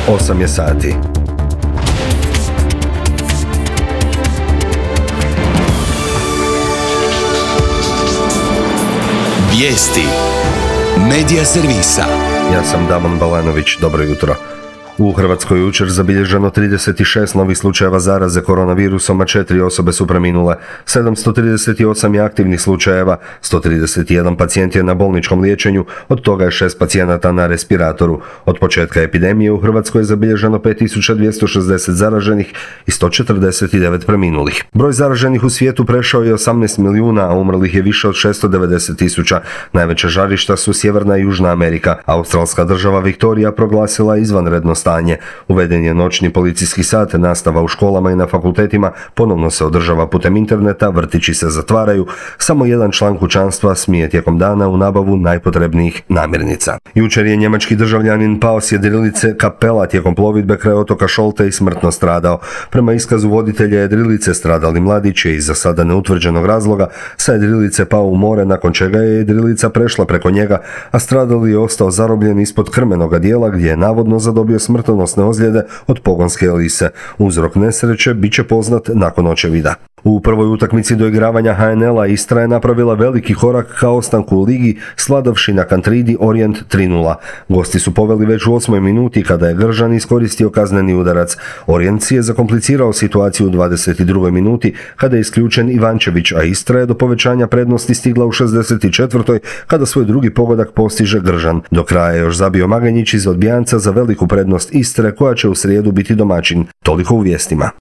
8 je sati. Vijesti Medija servisa. Ja sam Damon Balanović, dobro jutro. U Hrvatskoj jučer zabilježeno 36 novih slučajeva zaraze koronavirusom, a 4 osobe su preminule. 738 je aktivnih slučajeva, 131 pacijent je na bolničkom liječenju, od toga je 6 pacijenata na respiratoru. Od početka epidemije u Hrvatskoj je zabilježeno 5260 zaraženih i 149 preminulih. Broj zaraženih u svijetu prešao je 18 milijuna, a umrlih je više od 690.000. Najveća žarišta su Sjeverna i Južna Amerika. Australska država Viktorija proglasila izvanredno stanje. Uveden je noćni policijski sat, nastava u školama i na fakultetima ponovno se održava putem interneta, vrtići se zatvaraju, samo jedan član kućanstva smije tijekom dana u nabavu najpotrebnijih namirnica. Jučer je njemački državljanin pao s jedrilice Kapela tijekom plovidbe kraj otoka Šolte i smrtno stradao. Prema iskazu voditelja jedrilice, stradali mladić je iz za sada neutvrđenog razloga sa jedrilice pao u more, nakon čega je jedrilica prešla preko njega, a stradali je ostao zarobljen ispod krmenoga dijela gdje je navodno zadobio smrtonosne ozljede od pogonske elise. Uzrok nesreće bit će poznat nakon očevida. U prvoj utakmici doigravanja HNL-a Istra je napravila veliki korak ka ostanku u ligi, sladavši na Kantridi Orient 3:0. Gosti su poveli već u 8. minuti kada je Gržan iskoristio kazneni udarac. Orient si je zakomplicirao situaciju u 22. minuti kada je isključen Ivančević, a Istra je do povećanja prednosti stigla u 64. kada svoj drugi pogodak postiže Gržan. Do kraja je još zabio Maganjić iz odbijanca za veliku prednost Istre, koja će u srijedu biti domaćin. Toliko u vijestima.